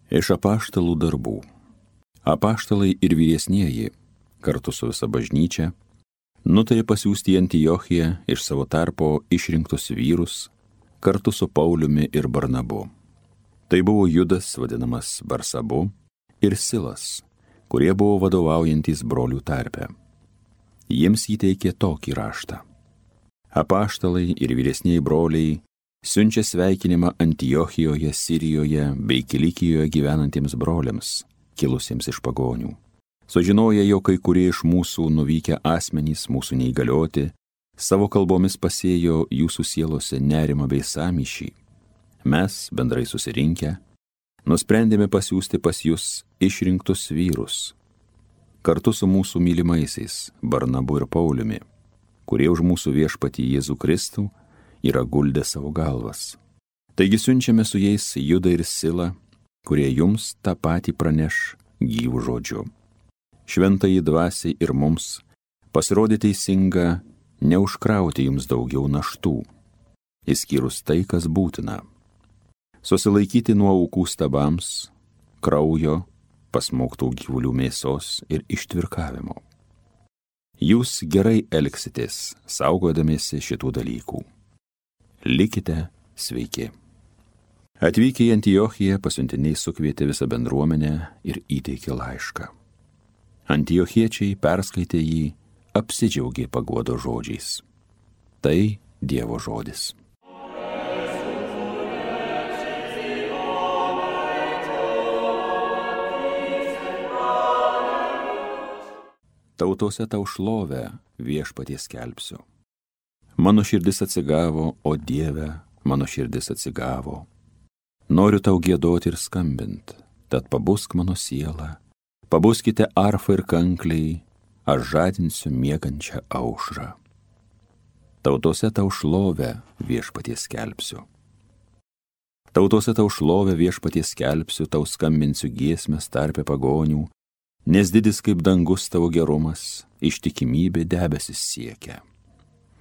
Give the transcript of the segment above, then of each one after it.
Iš apaštalų darbų. Apaštalai ir vyresnieji, kartu su visa bažnyčia, nutarė pasiųsti į Antiochiją iš savo tarpo išrinktus vyrus, kartu su Pauliumi ir Barnabu. Tai buvo Judas, vadinamas Barsabu, ir Silas, kurie buvo vadovaujantys brolių tarpe. Jiems įteikė tokį raštą. Apaštalai ir vyresnieji broliai siunčia sveikinimą Antiochijoje, Sirijoje bei Kilikijoje gyvenantiems broliams, kilusiems iš pagonių. Sužinoję, jog kai kurie iš mūsų nuvykę asmenys, mūsų neįgalioti, savo kalbomis pasėjo jūsų sielose nerimą bei sąmyšį, mes, bendrai susirinkę, nusprendėme pasiųsti pas jūs išrinktus vyrus, kartu su mūsų mylimaisiais Barnabu ir Pauliumi, kurie už mūsų viešpatį Jėzų Kristų yra guldę savo galvas. Taigi siunčiame su jais Judą ir Silą, kurie jums tą patį praneš gyvų žodžiu. Šventajai dvasiai ir mums pasirodė teisinga neužkrauti jums daugiau naštų, išskyrus tai, kas būtina. Susilaikyti nuo aukų stabams, kraujo, pasmaugtų gyvulių mėsos ir ištvirkavimo. Jūs gerai elgsitės, saugodamiesi šitų dalykų. Likite sveiki. Atvykę į Antiochiją, pasiuntiniai sukvietė visą bendruomenę ir įteikė laišką. Antiochiečiai perskaitė jį, apsidžiaugė paguodos žodžiais. Tai Dievo žodis. Tautose tau šlovę viešpaties skelbsiu. Mano širdis atsigavo, o Dieve, mano širdis atsigavo. Noriu tau giedoti ir skambint, tad pabusk mano sielą. Pabuskite arfą ir kankliai, aš žadinsiu miegančią aušrą. Tautose tau šlovę viešpaties skelbsiu. Tautose tau šlovę viešpaties skelbsiu, tau skambinsiu giesmes tarpe pagonių, nes didis kaip dangus tavo gerumas, ištikimybė debesis siekia.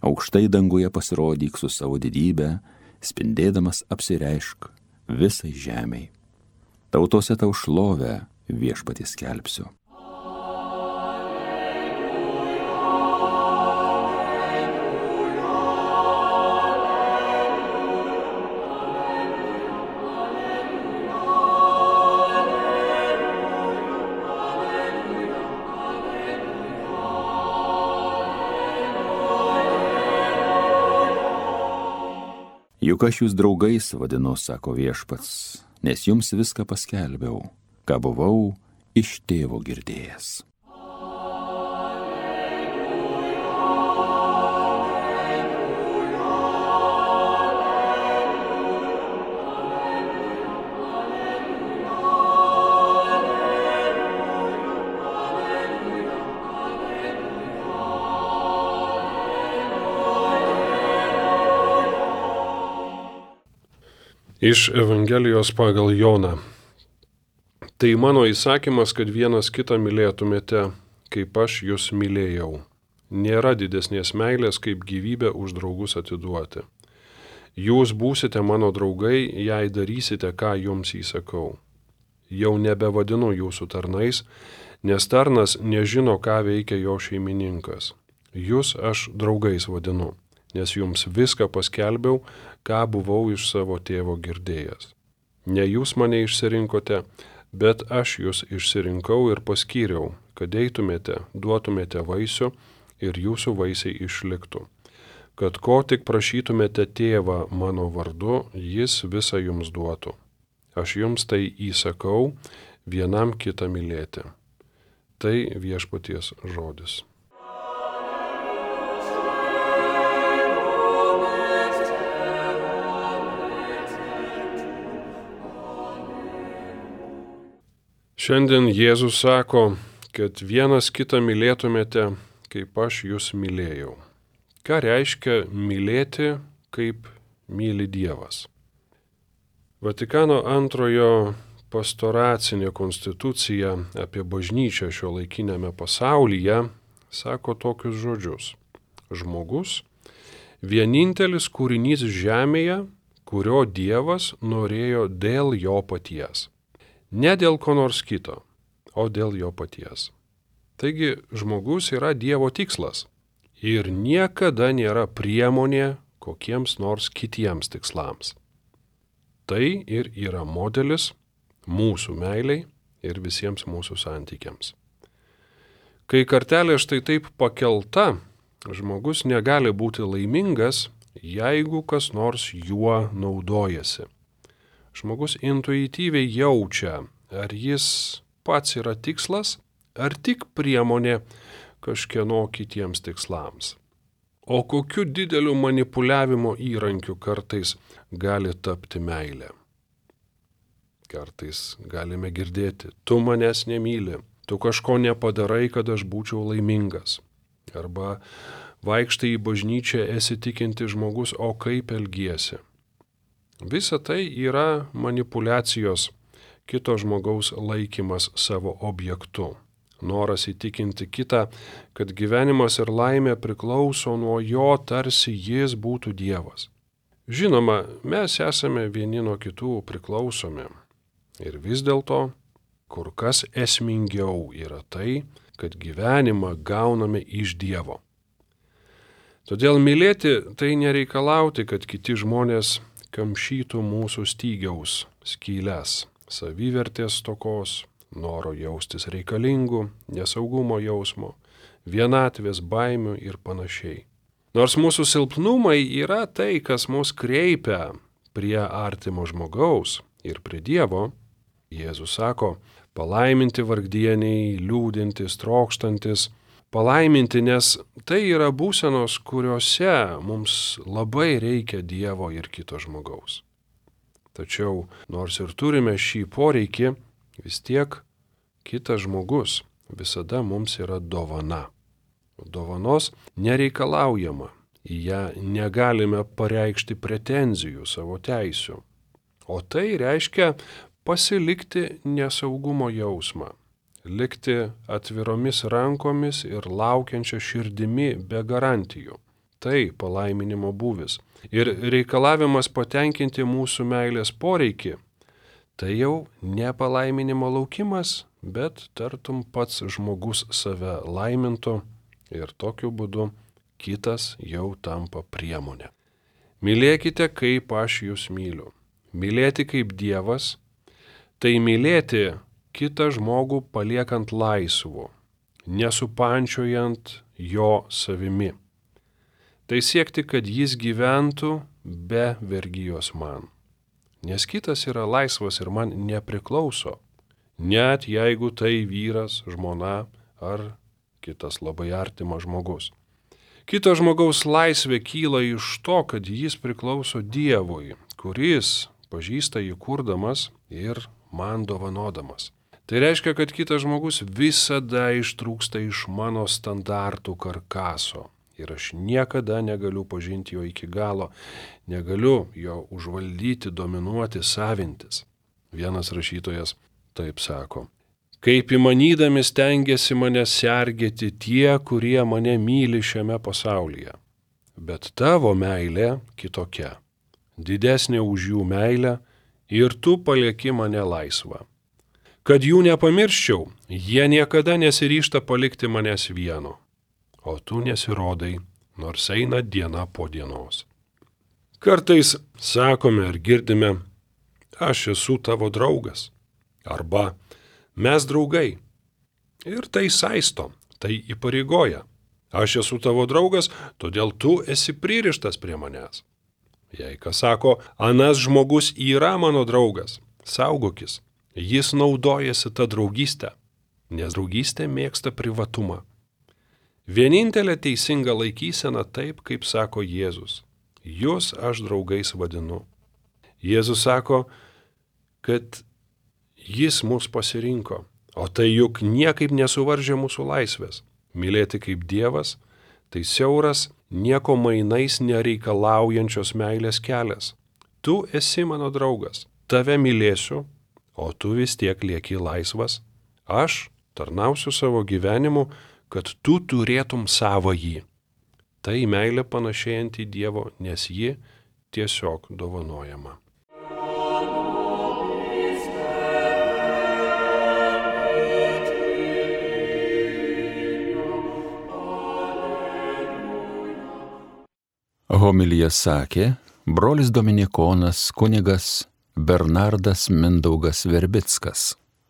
Aukštai danguje pasirodyk su savo didybę, spindėdamas apsireišk visai žemei. Tautose tau šlovę viešpaties skelbsiu. Juk aš jūs draugais vadinu, sako viešpats, nes jums viską paskelbiau, ką buvau iš tėvo girdėjęs. Iš Evangelijos pagal Joną. Tai mano įsakymas, kad vienas kitą mylėtumėte, kaip aš jūs mylėjau. Nėra didesnės meilės, kaip gyvybę už draugus atiduoti. Jūs būsite mano draugai, jei darysite, ką jums įsakau. Jau nebevadinu jūsų tarnais, nes tarnas nežino, ką veikia jo šeimininkas. Jūs aš draugais vadinu, nes jums viską paskelbiau, ką buvau iš savo tėvo girdėjęs. Ne jūs mane išsirinkote, bet aš jūs išsirinkau ir paskyriau, kad eitumėte, duotumėte vaisių ir jūsų vaisiai išliktų. Kad ko tik prašytumėte tėvą mano vardu, jis visą jums duotų. Aš jums tai įsakau, vienam kitą mylėti. Tai viešpaties žodis. Šiandien Jėzus sako, kad vienas kitą mylėtumėte, kaip aš jūs mylėjau. Ką reiškia mylėti, kaip myli Dievas? Vatikano antrojo pastoracinė konstitucija apie bažnyčią šiuolaikiniame pasaulyje sako tokius žodžius. Žmogus – vienintelis kūrinys žemėje, kurio Dievas norėjo dėl jo paties. Ne dėl ko nors kito, o dėl jo paties. Taigi žmogus yra Dievo tikslas ir niekada nėra priemonė kokiems nors kitiems tikslams. Tai ir yra modelis mūsų meiliai ir visiems mūsų santykiams. Kai kartelė štai taip pakelta, žmogus negali būti laimingas, jeigu kas nors juo naudojasi. Žmogus intuityviai jaučia, ar jis pats yra tikslas, ar tik priemonė kažkieno kitiems tikslams. O kokiu dideliu manipuliavimo įrankiu kartais gali tapti meilė. Kartais galime girdėti, tu manęs nemyli, tu kažko nepadarai, kad aš būčiau laimingas. Arba vaikštai į bažnyčią esi tikinti žmogus, o kaip elgiesi. Visa tai yra manipuliacijos, kito žmogaus laikymas savo objektu. Noras įtikinti kitą, kad gyvenimas ir laimė priklauso nuo jo, tarsi jis būtų Dievas. Žinoma, mes esame vieni nuo kitų priklausomi. Ir vis dėlto, kur kas esmingiau yra tai, kad gyvenimą gauname iš Dievo. Todėl mylėti tai nereikalauti, kad kiti žmonės kamšytų mūsų stygiaus skyles, savivertės stokos, noro jaustis reikalingų, nesaugumo jausmo, vienatvės baimių ir panašiai. Nors mūsų silpnumai yra tai, kas mus kreipia prie artimo žmogaus ir prie Dievo, Jėzus sako, palaiminti vargdieniai, liūdintys, trokštantis, palaiminti, nes tai yra būsenos, kuriuose mums labai reikia Dievo ir kito žmogaus. Tačiau, nors ir turime šį poreikį, vis tiek kitas žmogus visada mums yra dovana. Dovanos nereikalaujama, į ją negalime pareikšti pretenzijų savo teisių. O tai reiškia pasilikti nesaugumo jausmą, likti atviromis rankomis ir laukiančia širdimi be garantijų. Tai palaiminimo būvis. Ir reikalavimas patenkinti mūsų meilės poreikį, tai jau ne palaiminimo laukimas, bet tartum pats žmogus save laimintų ir tokiu būdu kitas jau tampa priemonė. Mylėkite, kaip aš jūs myliu. Mylėti kaip Dievas, tai mylėti kitą žmogų paliekant laisvu, nesupančiojant jo savimi. Tai siekti, kad jis gyventų be vergijos man. Nes kitas yra laisvas ir man nepriklauso, net jeigu tai vyras, žmona ar kitas labai artimas žmogus. Kito žmogaus laisvė kyla iš to, kad jis priklauso Dievui, kuris pažįsta jį kurdamas ir man dovanodamas. Tai reiškia, kad kitas žmogus visada ištrūksta iš mano standartų karkaso. Ir aš niekada negaliu pažinti jo iki galo, negaliu jo užvaldyti, dominuoti, savintis. Vienas rašytojas taip sako. Kaip įmanydami stengiasi mane sergėti tie, kurie mane myli šiame pasaulyje. Bet tavo meilė kitokia, didesnė už jų meilę ir tu palieki mane laisvą. Kad jų nepamirščiau, jie niekada nesiryžta palikti manęs vieno. O tu nesirodai, nors eina diena po dienos. Kartais sakome ar girdime, aš esu tavo draugas, arba mes draugai. Ir tai saisto, tai įpareigoja. Aš esu tavo draugas, todėl tu esi pririštas prie manęs. Jei kas sako, anas žmogus yra mano draugas, saugokis, jis naudojasi tą draugystę, nes draugystė mėgsta privatumą. Vienintelė teisinga laikysena taip, kaip sako Jėzus. Jūs aš draugais vadinu. Jėzus sako, kad jis mus pasirinko, o tai juk niekaip nesuvaržė mūsų laisvės. Mylėti kaip Dievas, tai siauras, nieko mainais nereikalaujančios meilės kelias. Tu esi mano draugas, tave mylėsiu, o tu vis tiek lieki laisvas. Aš tarnausiu savo gyvenimu, kad tu turėtum savąjį. Tai meilė panašėjanti į Dievo, nes ji tiesiog dovanojama. Homiliją sakė brolis dominikonas kunigas Bernardas Mindaugas Verbickas.